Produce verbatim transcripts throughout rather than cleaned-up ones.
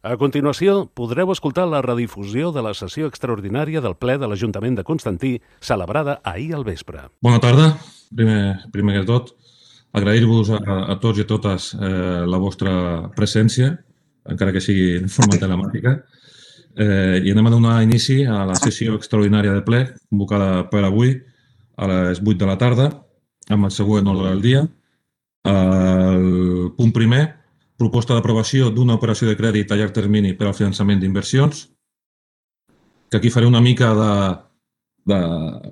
A continuació, podreu escoltar la redifusió de la sessió extraordinària del ple de l'Ajuntament de Constantí, celebrada ahir al vespre. Bona tarda. Primer, primer que tot, agrair-vos a, a tots i a totes eh, la vostra presència, encara que sigui en forma telemàtica, eh, i anem a donar inici a la sessió extraordinària de ple, convocada per avui a les vuit de la tarda, amb el següent ordre del dia. El punt primer, proposta d'aprovació d'una operació de crèdit a llarg termini per al finançament d'inversions, que aquí faré una mica de, de,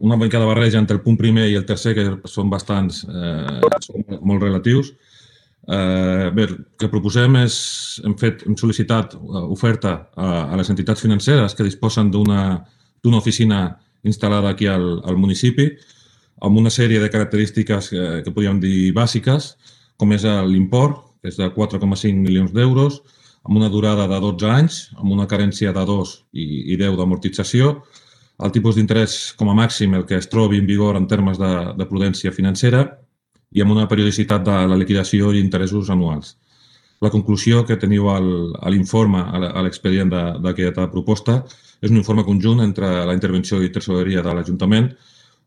una mica de barreja entre el punt primer i el tercer, que són bastants, eh, són molt relatius. Eh, bé, el que proposem és, hem, fet, hem sol·licitat oferta a, a les entitats financeres que disposen d'una d'una oficina instal·lada aquí al, al municipi, amb una sèrie de característiques que, que podríem dir bàsiques, com és l'import, que és de quatre coma cinc milions d'euros, amb una durada de dotze anys, amb una carència de dos i deu d'amortització, el tipus d'interès com a màxim, el que es trobi en vigor en termes de, de prudència financera i amb una periodicitat de la liquidació i interessos anuals. La conclusió que teniu a l'informe, a l'expedient d'aquesta proposta, és un informe conjunt entre la intervenció i tresoreria de l'Ajuntament,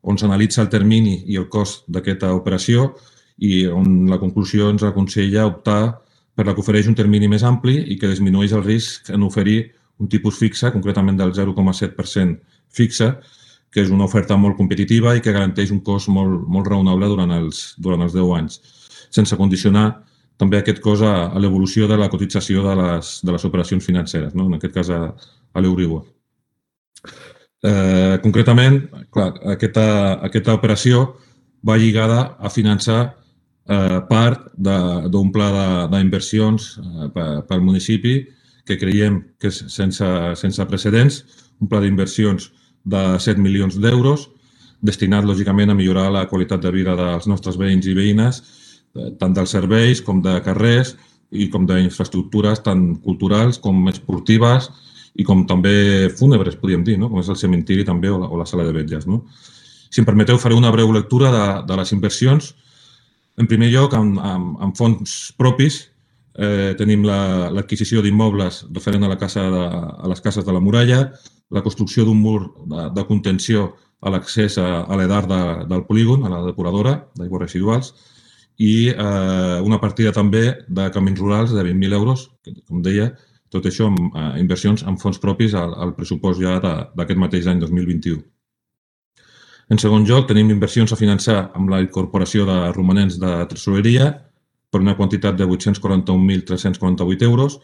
on s'analitza el termini i el cost d'aquesta operació i on la conclusió ens aconsella optar per la que ofereix un termini més ampli i que disminueix el risc en oferir un tipus fixe, concretament del zero coma set per cent fixe, que és una oferta molt competitiva i que garanteix un cost molt, molt raonable durant els, durant els deu anys, sense condicionar també aquest cost a, a l'evolució de la cotització de les, de les operacions financeres, no? En aquest cas a, a l'Euribor. Eh, concretament, clar, aquesta, aquesta operació va lligada a finançar eh, part d'un pla d'inversions eh, pel municipi que creiem que és sense, sense precedents, un pla d'inversions de set milions d'euros, destinat, lògicament, a millorar la qualitat de vida dels nostres veïns i veïnes, eh, tant dels serveis com de carrers i com d'infraestructures tant culturals com esportives i com també fúnebres, podríem dir, no? Com és el cementiri també o la, o la sala de vetlles. No? Si em permeteu, faré una breu lectura de, de les inversions. En primer lloc, amb, amb, amb fons propis, eh, tenim l'adquisició la, d'immobles referent a, la casa de, a les cases de la muralla, la construcció d'un mur de, de contenció a l'accés a, a l'edar de, del polígon, a la depuradora d'aigües residuals, i eh, una partida també de camins rurals de vint mil euros, que, com deia, tot això amb eh, inversions amb fons propis al, al pressupost ja d'aquest mateix any dos mil vint-i-u. En segon lloc, tenim inversions a finançar amb la incorporació de romanents de tresoreria per una quantitat de vuit-cents quaranta-un mil tres-cents quaranta-vuit euros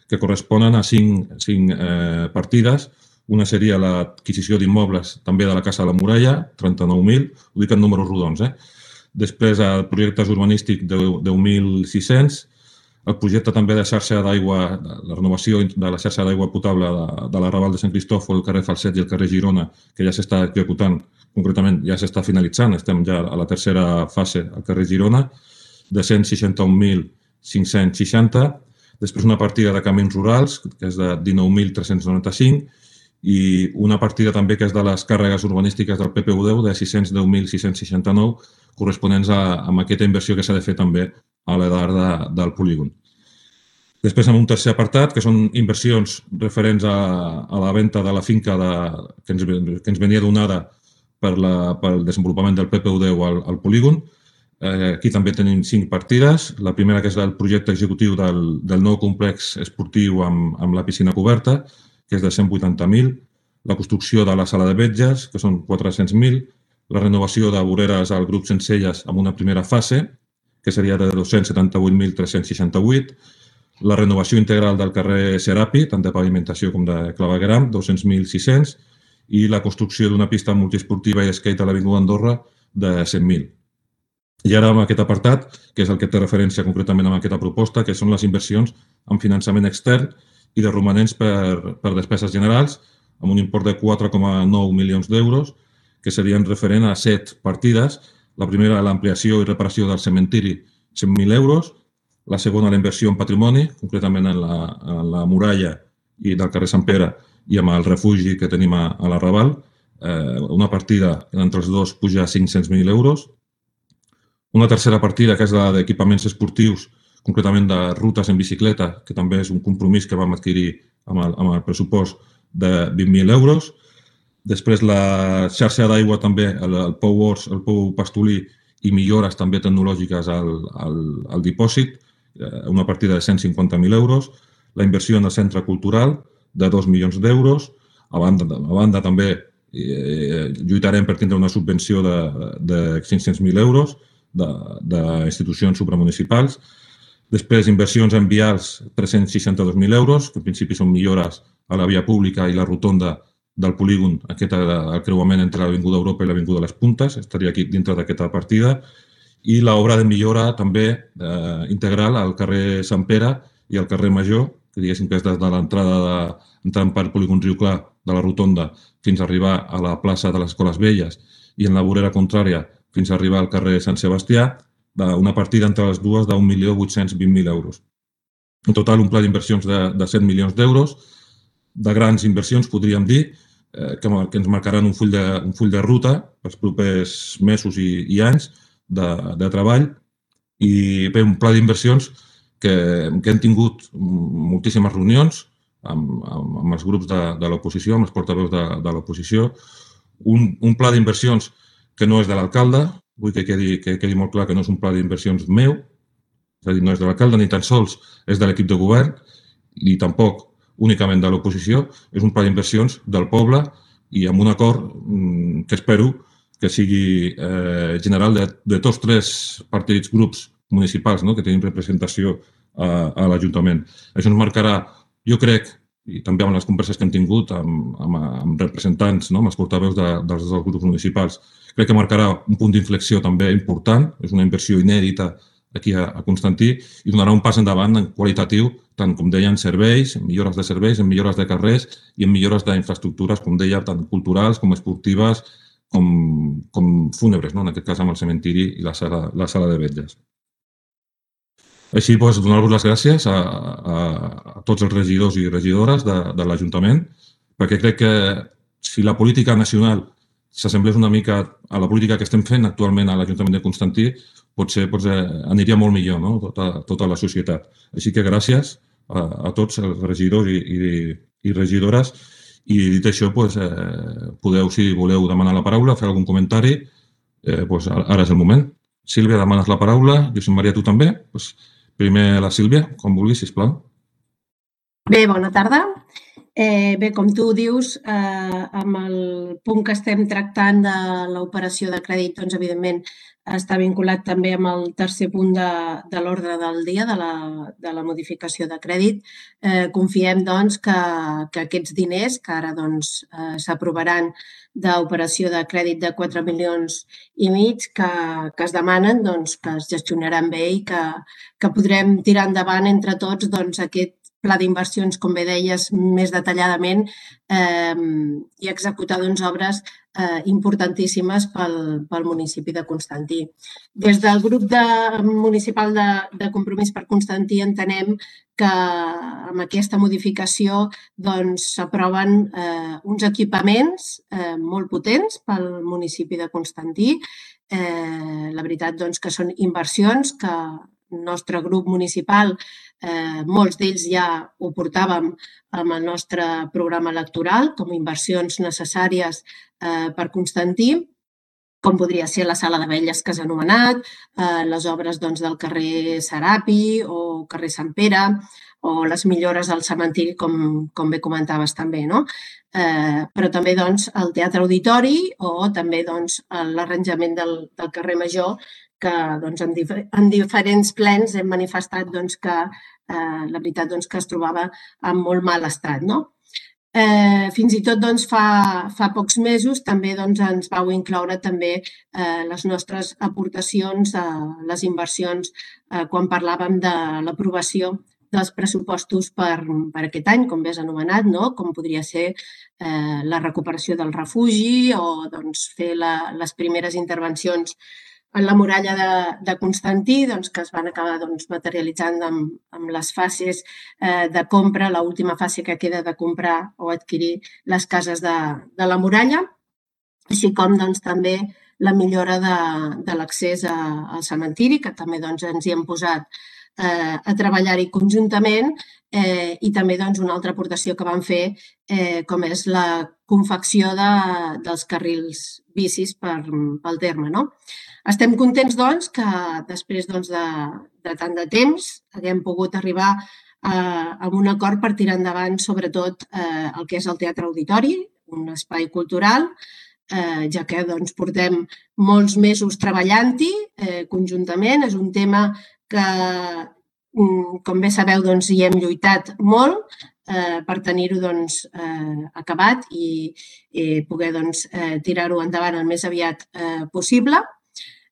que corresponen a cinc, cinc eh, partides. Una seria l'adquisició d'immobles també de la Casa de la Muralla, trenta-nou mil, ho dic en números rodons. Eh? Després, el projectes urbanístic de deu mil sis-cents, el projecte també de xarxa d'aigua, la renovació de la xarxa d'aigua potable de, de l'arrabal de Sant Cristòfol, el carrer Falset i el carrer Girona, que ja s'està executant, concretament ja s'està finalitzant, estem ja a la tercera fase al carrer Girona, de cent seixanta-un mil cinc-cents seixanta, després una partida de camins rurals, que és de dinou mil tres-cents noranta-cinc, i una partida també que és de les càrregues urbanístiques del P P U deu de sis-cents deu mil sis-cents seixanta-nou, corresponents a, a aquesta inversió que s'ha de fer també a l'edar de, del polígon. Després, amb un tercer apartat, que són inversions referents a, a la venda de la finca de, que, ens, que ens venia donada per la, pel desenvolupament del P P U deu al, al polígon. Eh, aquí també tenim cinc partides. La primera, que és el projecte executiu del, del nou complex esportiu amb, amb la piscina coberta, que és de cent vuitanta mil. La construcció de la sala de vetlles, que són quatre-cents mil. La renovació de voreres al grup Sencelles amb una primera fase, que seria de dos-cents setanta-vuit mil tres-cents seixanta-vuit. La renovació integral del carrer Serapi, tant de pavimentació com de clavegueram, dos-cents mil sis-cents. I la construcció d'una pista multiesportiva i skate a l'Avinguda Andorra de cent mil. I ara amb aquest apartat, que és el que té referència concretament amb aquesta proposta, que són les inversions en finançament extern i de romanents per, per despeses generals, amb un import de quatre coma nou milions d'euros, que serien referent a set partides. La primera, l'ampliació i reparació del cementiri, cent mil euros. La segona, la inversió en patrimoni, concretament en la, en la muralla i del carrer Sant Pere i amb el refugi que tenim a, a l'Arrabal. Eh, una partida entre els dos puja a cinc-cents mil euros. Una tercera partida, que és la d'equipaments esportius, concretament de rutes en bicicleta, que també és un compromís que vam adquirir amb el, amb el pressupost de vint mil euros. Després la xarxa d'aigua també, el, el Pou Ors, el Pou Pastolí i millores també tecnològiques al, al, al dipòsit, una partida de cent cinquanta mil euros. La inversió en el centre cultural de dos milions d'euros. A banda, a banda també eh, lluitarem per tindre una subvenció de, de cinc-cents mil euros d'institucions supramunicipals. Després, inversions en vials, tres-cents seixanta-dos mil euros, que en principi són millores a la via pública i la rotonda del polígon, aquest el creuament entre l'Avinguda Europa i l'Avinguda Les Puntes, estaria aquí dintre d'aquesta partida. I l'obra de millora també eh, integral al carrer Sant Pere i al carrer Major, que diguéssim que és des de l'entrada de, entrant per polígon Riu Clar de la rotonda fins a arribar a la plaça de les Escoles Velles i en la vorera contrària fins a arribar al carrer Sant Sebastià, una partida entre les dues d'un milió vuit-cents vint mil euros. En total, un pla d'inversions de, de set milions d'euros, de grans inversions, podríem dir, eh, que, que ens marcaran un full de, un full de ruta pels propers mesos i, i anys de, de treball. I bé, un pla d'inversions que, que hem tingut moltíssimes reunions amb, amb, amb els grups de, de l'oposició, amb els portaveus de, de l'oposició. Un, un pla d'inversions que no és de l'alcalde, vull que quedi, que quedi molt clar que no és un pla d'inversions meu, és a dir, no és de l'alcalde ni tan sols és de l'equip de govern i tampoc únicament de l'oposició, és un pla d'inversions del poble i amb un acord que espero que sigui eh, general de, de tots tres partits, grups municipals, no?, que tenim representació a, a l'Ajuntament. Això ens marcarà, jo crec, i també amb les converses que hem tingut amb, amb, amb representants, no?, amb els portaveus de, dels, dels grups municipals, crec que marcarà un punt d'inflexió també important, és una inversió inèdita aquí a, a Constantí i donarà un pas endavant en qualitatiu, tant com deia en serveis, en millores de serveis, en millores de carrers i en millores d'infraestructures, com deia, tant culturals com esportives, com, com fúnebres, no?, en aquest cas amb el cementiri i la sala, la sala de vetlles. Així, doncs, donar-vos les gràcies a, a, a tots els regidors i regidores de, de l'Ajuntament, perquè crec que si la política nacional s'assemblés una mica a la política que estem fent actualment a l'Ajuntament de Constantí, potser, potser aniria molt millor, no?, tota, tota la societat. Així que gràcies a, a tots els regidors i, i, i regidores. I dit això, doncs, eh, podeu, si voleu demanar la paraula, fer algun comentari, eh, doncs ara és el moment. Sílvia, demanes la paraula. Josep Maria, tu també? Doncs primer la Sílvia, com vulguis, sisplau. Bé, bona tarda. Eh, bé, com tu dius, eh, amb el punt que estem tractant de l'operació de crèdit, doncs, evidentment, està vinculat també amb el tercer punt de, de l'ordre del dia de la, de la modificació de crèdit. Eh, confiem, doncs, que, que aquests diners, que ara doncs, eh, s'aprovaran d'operació de crèdit de quatre milions i mig que, que es demanen, doncs, que es gestionaran bé i que, que podrem tirar endavant entre tots doncs, aquest pla d'inversions, com bé deies, més detalladament eh, i executar doncs, obres eh, importantíssimes pel, pel municipi de Constantí. Des del grup de, municipal de, de Compromís per Constantí entenem que amb aquesta modificació doncs, s'aproven eh, uns equipaments eh, molt potents pel municipi de Constantí. Eh, la veritat doncs, que són inversions que el nostre grup municipal, eh, molts d'ells ja ho portàvem amb el nostre programa electoral com a inversions necessàries eh, per Constantí, com podria ser la sala de vetlles que s'ha anomenat, eh, les obres doncs, del carrer Serapi o carrer Sant Pere, o les millores al cementiri, com, com bé comentaves també, no? Eh, però també doncs, el teatre auditori o també doncs, l'arranjament del, del carrer Major, que doncs, en, dif en diferents plens hem manifestat doncs, que eh, la veritat doncs, que es trobava en molt mal estat. No? Eh, fins i tot doncs, fa, fa pocs mesos també doncs, ens vau incloure també eh, les nostres aportacions a les inversions eh, quan parlàvem de l'aprovació dels pressupostos per, per aquest any, com bé has anomenat, no? Com podria ser eh, la recuperació del refugi o doncs, fer la, les primeres intervencions en la muralla de, de Constantí, doncs, que es van acabar doncs, materialitzant amb, amb les fases eh, de compra, l'última fase que queda de comprar o adquirir les cases de, de la muralla, així com doncs, també la millora de, de l'accés al cementiri, que també doncs, ens hi hem posat eh, a treballar-hi conjuntament eh, i també doncs, una altra aportació que van fer eh, com és la confecció de, dels carrils bicis per, pel terme. No? Estem contents doncs, que després doncs, de, de tant de temps haguem pogut arribar a, a un acord per tirar endavant sobretot eh, el que és el Teatre Auditori, un espai cultural, eh, ja que doncs, portem molts mesos treballant-hi eh, conjuntament. És un tema que, com bé sabeu, doncs, hi hem lluitat molt eh, per tenir-ho doncs, eh, acabat i, i poder doncs, eh, tirar-ho endavant el més aviat eh, possible.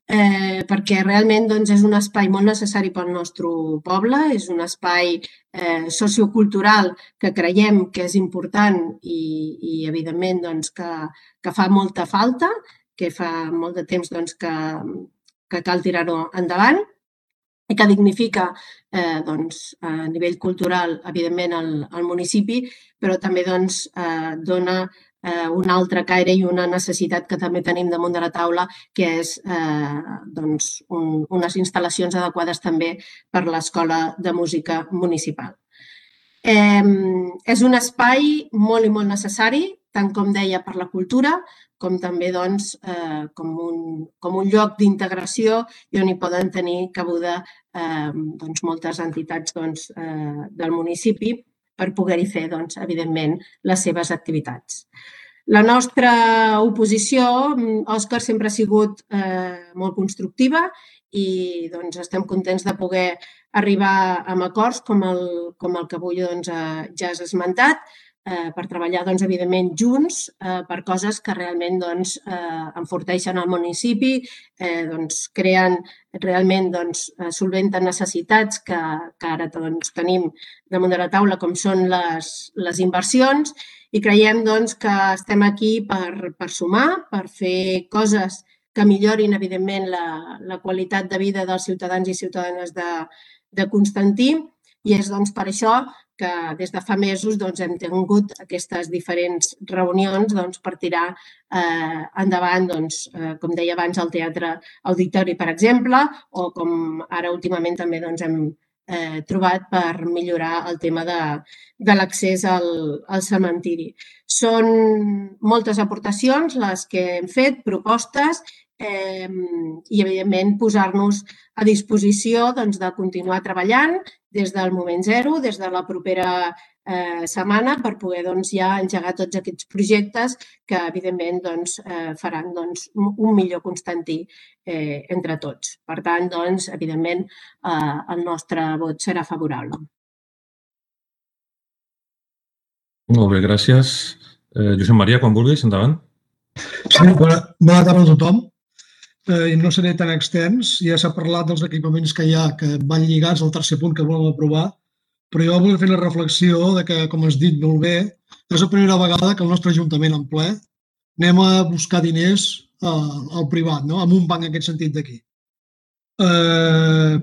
Eh, perquè realment doncs, és un espai molt necessari pel nostre poble, és un espai eh, sociocultural que creiem que és important i, i evidentment, doncs, que, que fa molta falta, que fa molt de temps doncs, que, que cal tirar-ho endavant i que dignifica eh, doncs, a nivell cultural, evidentment, el, el municipi, però també doncs, eh, dona eh, un altre caire i una necessitat que també tenim damunt de la taula, que és eh, doncs, un, unes instal·lacions adequades també per l'Escola de Música Municipal. Eh, és un espai molt i molt necessari, tant com deia per la cultura, com també doncs, eh, com, un, com un lloc d'integració i on hi poden tenir cabuda eh, doncs, moltes entitats doncs, eh, del municipi per poder-hi fer, doncs, evidentment, les seves activitats. La nostra oposició, Òscar, sempre ha sigut eh, molt constructiva i doncs, estem contents de poder arribar a acords com el, com el que avui doncs, ja has esmentat, eh, per treballar, doncs, evidentment, junts eh, per coses que realment doncs, eh, enforteixen el municipi, eh, doncs, creen realment, doncs, solventen necessitats que, que ara doncs, tenim damunt de la taula, com són les, les inversions, i creiem doncs, que estem aquí per, per sumar, per fer coses que millorin, evidentment, la, la qualitat de vida dels ciutadans i ciutadanes de, de Constantí, i és doncs, per això que des de fa mesos doncs, hem tingut aquestes diferents reunions doncs, per tirar eh, endavant, doncs, eh, com deia abans, el Teatre Auditori, per exemple, o com ara últimament també doncs, hem eh, trobat per millorar el tema de, de l'accés al, al cementiri. Són moltes aportacions les que hem fet, propostes, eh, i, evidentment, posar-nos a disposició doncs, de continuar treballant des del moment zero, des de la propera eh, setmana, per poder doncs, ja engegar tots aquests projectes que, evidentment, doncs, eh, faran doncs, un millor Constantí eh, entre tots. Per tant, doncs, evidentment, eh, el nostre vot serà favorable. Molt bé, gràcies. Eh, Josep Maria, quan vulguis, endavant. Sí, bona, bona tarda a tothom. Eh, no seré tan extens, ja s'ha parlat dels equipaments que hi ha que van lligats al tercer punt que volem aprovar, però jo vull fer una reflexió de que, com has dit molt bé, és la primera vegada que el nostre Ajuntament en ple anem a buscar diners eh, al privat, no? En un banc en aquest sentit d'aquí. Eh,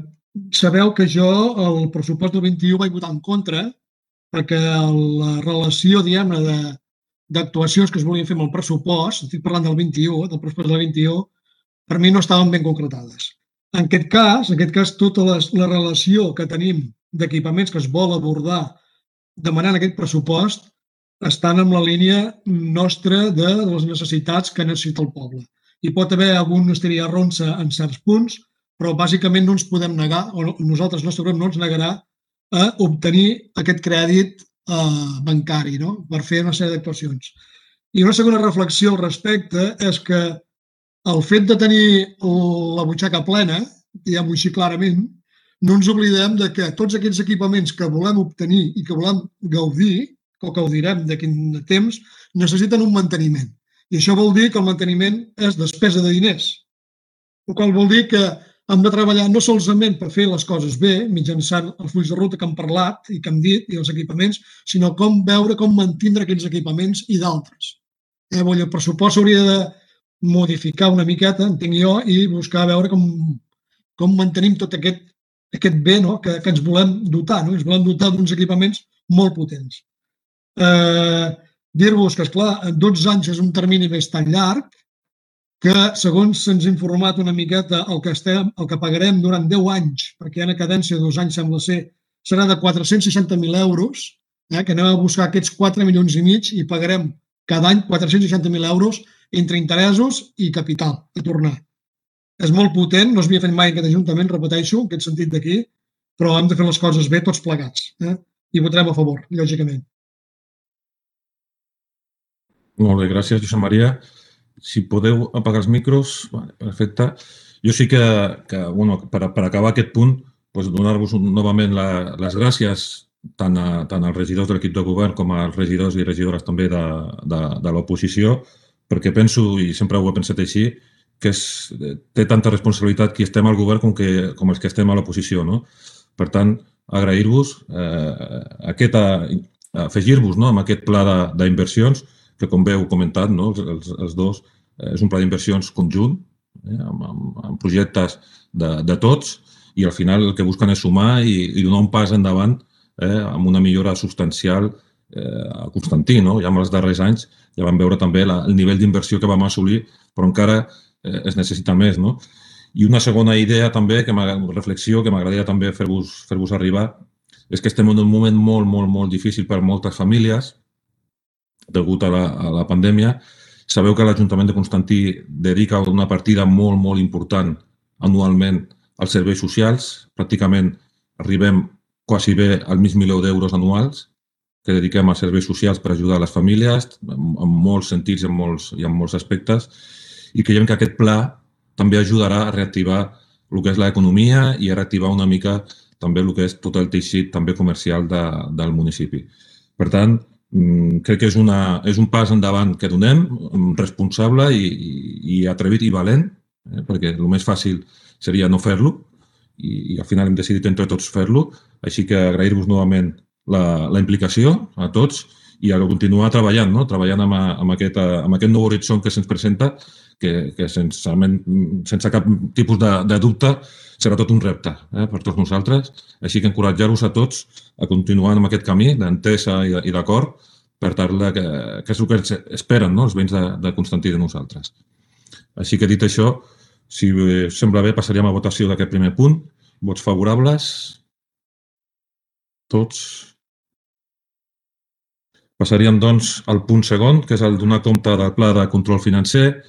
sabeu que jo el pressupost del vint-i-u vaig votar en contra perquè la relació, diguem-ne, d'actuacions que es volien fer amb el pressupost, estic parlant del vint-i-u, del pressupost del vint-i-u, per mi no estaven ben concretades. En aquest cas, en aquest cas tota les, la relació que tenim d'equipaments que es vol abordar demanant aquest pressupost estan en la línia nostra de les necessitats que necessita el poble. Hi pot haver algun estiria ronça en certs punts, però bàsicament no ens podem negar, o nosaltres, el nostre grup, no ens negarà a obtenir aquest crèdit eh, bancari, no? Per fer una sèrie d'actuacions. I una segona reflexió al respecte és que el fet de tenir la butxaca plena, diguem-ho així clarament, no ens oblidem de que tots aquests equipaments que volem obtenir i que volem gaudir, o que gaudirem d'aquí temps, necessiten un manteniment. I això vol dir que el manteniment és despesa de diners. El qual vol dir que hem de treballar no solament per fer les coses bé, mitjançant els fulls de ruta que hem parlat i que hem dit, i els equipaments, sinó com veure com mantindre aquests equipaments i d'altres. Eh, el pressupost s'hauria de modificar una miqueta, entenc jo, i buscar veure com, com mantenim tot aquest, aquest bé, no? que, que ens volem dotar. No? Ens volem dotar d'uns equipaments molt potents. Eh, Dir-vos que, esclar, en dotze anys és un termini més tan llarg, que, segons se'ns ha informat una miqueta, el que, estem, el que pagarem durant deu anys, perquè hi ha una cadència de dos anys, sembla ser, serà de quatre-cents seixanta mil euros, eh, que anem a buscar aquests quatre milions i mig i pagarem cada any quatre-cents seixanta mil euros entre interessos i capital a tornar. És molt potent, no s'havia fet mai en aquest Ajuntament, repeteixo, en aquest sentit d'aquí, però hem de fer les coses bé tots plegats. Eh? I votarem a favor, lògicament. Molt bé, gràcies, Josep Maria. Si podeu apagar els micros, vale, perfecte. Jo sí que, que bueno, per, per acabar aquest punt, doncs donar-vos novament la, les gràcies tant, a, tant als regidors de l'equip de govern com als regidors i regidores també de, de, de l'oposició, perquè penso, i sempre ho he pensat així, que és, té tanta responsabilitat qui estem al govern com, que, com els que estem a l'oposició. No? Per tant, agrair-vos, eh, aquesta, afegir-vos no, amb aquest pla d'inversions, que com bé heu comentat, no, els, els dos, eh, és un pla d'inversions conjunt, eh, amb, amb, amb projectes de, de tots, i al final el que busquen és sumar i, i donar un pas endavant eh, amb una millora substancial eh, a Constantí. No? Ja en els darrers anys ja vam veure també la, el nivell d'inversió que vam assolir, però encara eh, es necessita més. No? I una segona idea també, que reflexió, que m'agradaria també fer-vos fer-vos arribar, és que estem en un moment molt, molt, molt difícil per a moltes famílies, degut a la, a la pandèmia. Sabeu que l'Ajuntament de Constantí dedica una partida molt, molt important anualment als serveis socials. Pràcticament arribem quasi bé al mig milió d'euros anuals que dediquem als serveis socials per ajudar les famílies en, en molts sentits en molts, i en molts aspectes. I creiem que aquest pla també ajudarà a reactivar el que és l'economia i a reactivar una mica també el que és tot el teixit també comercial de, del municipi. Per tant, crec que és, una, és un pas endavant que donem, responsable i, i, i atrevit i valent, eh, perquè el més fàcil seria no fer-lo i, i al final hem decidit entre tots fer-lo. Així que agrair-vos novament la, la implicació a tots i a continuar treballant, no? treballant amb, amb, aquest, amb aquest nou horitzó que se'ns presenta, que, que sense, sense cap tipus de, de dubte serà tot un repte eh, per tots nosaltres. Així que encoratjar-vos a tots a continuar amb aquest camí d'entesa i d'acord per tal que, que és el que esperen no, els veïns de, de Constantí de nosaltres. Així que dit això, si us sembla bé, passaríem a votació d'aquest primer punt. Vots favorables? Tots? Passaríem, doncs, al punt segon, que és el donar compte del pla de control financer,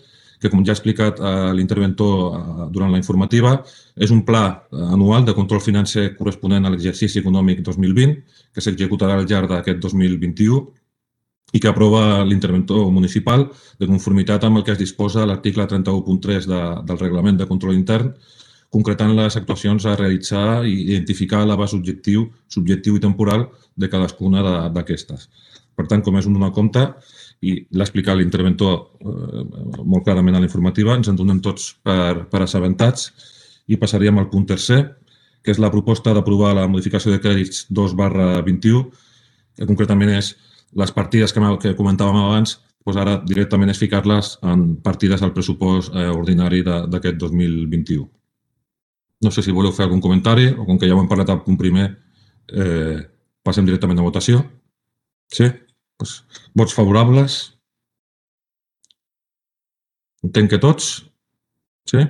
que, com ja ha explicat l'interventor durant la informativa, és un pla anual de control financer corresponent a l'exercici econòmic dos mil vint, que s'executarà al llarg d'aquest dos mil vint-i-u i que aprova l'interventor municipal de conformitat amb el que es disposa a l'article trenta-u punt tres de, del Reglament de Control Intern, concretant les actuacions a realitzar i identificar l'abast objectiu, subjectiu i temporal de cadascuna d'aquestes. Per tant, com és un donar compte, i l'ha explicat l'interventor eh, molt clarament a la informativa, ens en donem tots per, per assabentats i passaríem al punt tercer, que és la proposta d'aprovar la modificació de crèdits dos barra vint-i-u, que concretament és les partides que, que comentàvem abans, doncs ara directament és ficar-les en partides al pressupost eh, ordinari d'aquest dos mil vint-i-u. No sé si voleu fer algun comentari o com que ja ho hem parlat al punt primer, eh, passem directament a votació. Sí? Pues, vots favorables? Entenc que tots? Sí?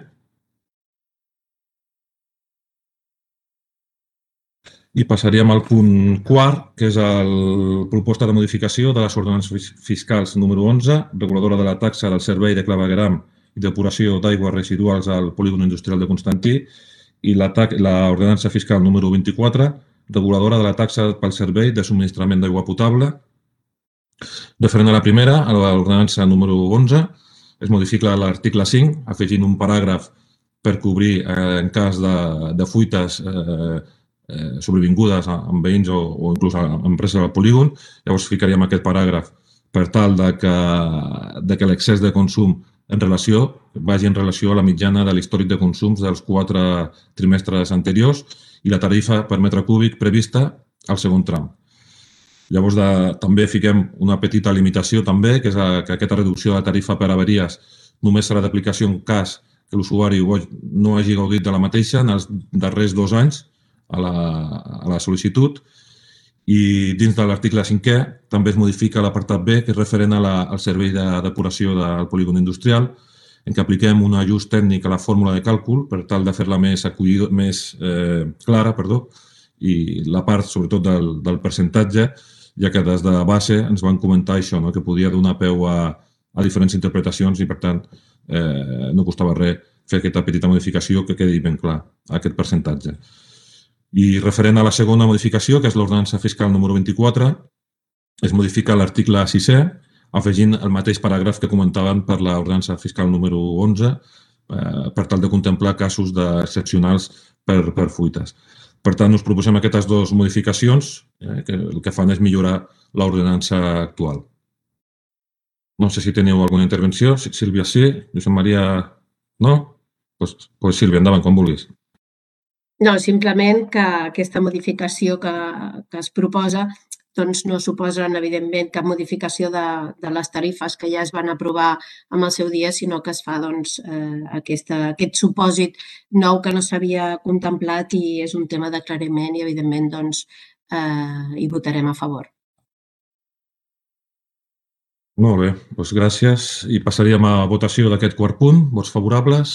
I passaríem al punt quart, que és la proposta de modificació de les ordenances fiscals número onze, reguladora de la taxa del servei de clavegueram i depuració d'aigües residuals al polígon industrial de Constantí, i l'ordenança fiscal número vint-i-quatre, reguladora de la taxa pel servei de subministrament d'aigua potable. Referent a la primera, a l'ordenança número onze, es modifica l'article cinc, afegint un paràgraf per cobrir eh, en cas de, de fuites eh, eh, sobrevingudes amb veïns o, o inclús amb empreses del polígon. Llavors ficaríem aquest paràgraf per tal de que, de que l'excés de consum en relació vagi en relació a la mitjana de l'històric de consums dels quatre trimestres anteriors i la tarifa per metre cúbic prevista al segon tram. Llavors, de, també fiquem una petita limitació també, que és a, que aquesta reducció de la tarifa per averies només serà d'aplicació en cas que l'usuari no hagi gaudit de la mateixa en els darrers dos anys a la, a la sol·licitud. I dins de l'article cinquè també es modifica l'apartat B, que és referent a la, al servei de depuració del polígon industrial, en què apliquem un ajust tècnic a la fórmula de càlcul per tal de fer-la més, acollido, més eh, clara, perdó, i la part, sobretot, del, del percentatge, ja que des de base ens van comentar això, no? Que podia donar peu a, a diferents interpretacions i, per tant, eh, no costava res fer aquesta petita modificació que quedi ben clar, aquest percentatge. I referent a la segona modificació, que és l'ordenança fiscal número vint-i-quatre, es modifica l'article sisè, afegint el mateix paràgraf que comentàvem per l'ordenança fiscal número onze, eh, per tal de contemplar casos excepcionals per, per fuites. Per tant, us proposem aquestes dues modificacions, eh, que el que fan és millorar l'ordenança actual. No sé si teniu alguna intervenció. Sílvia, sí. Josep Maria, no? Doncs pues, pues Sílvia, endavant, com vulguis. No, simplement que aquesta modificació que, que es proposa doncs no suposen, evidentment, cap modificació de, de les tarifes que ja es van aprovar en el seu dia, sinó que es fa doncs, eh, aquesta, aquest supòsit nou que no s'havia contemplat i és un tema d'aclariment i, evidentment, doncs, eh, hi votarem a favor. Molt bé, doncs gràcies. I passaríem a votació d'aquest quart punt. Vots favorables?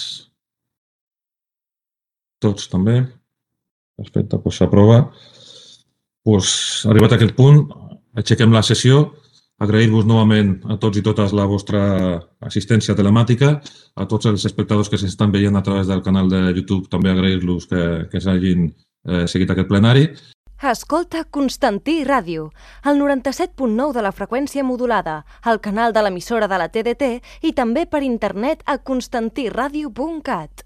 Tots també? Perfecte, doncs s'aprova. Doncs, arribat a aquest punt, aixequem la sessió. Agrair-vos novament a tots i totes la vostra assistència telemàtica. A tots els espectadors que s'estan veient a través del canal de YouTube també agrair-los que, que s'hagin eh, seguit aquest plenari. Escolta Constantí Ràdio, el noranta-set punt nou de la freqüència modulada, al canal de l'emissora de la T D T i també per internet a constantí ràdio punt cat.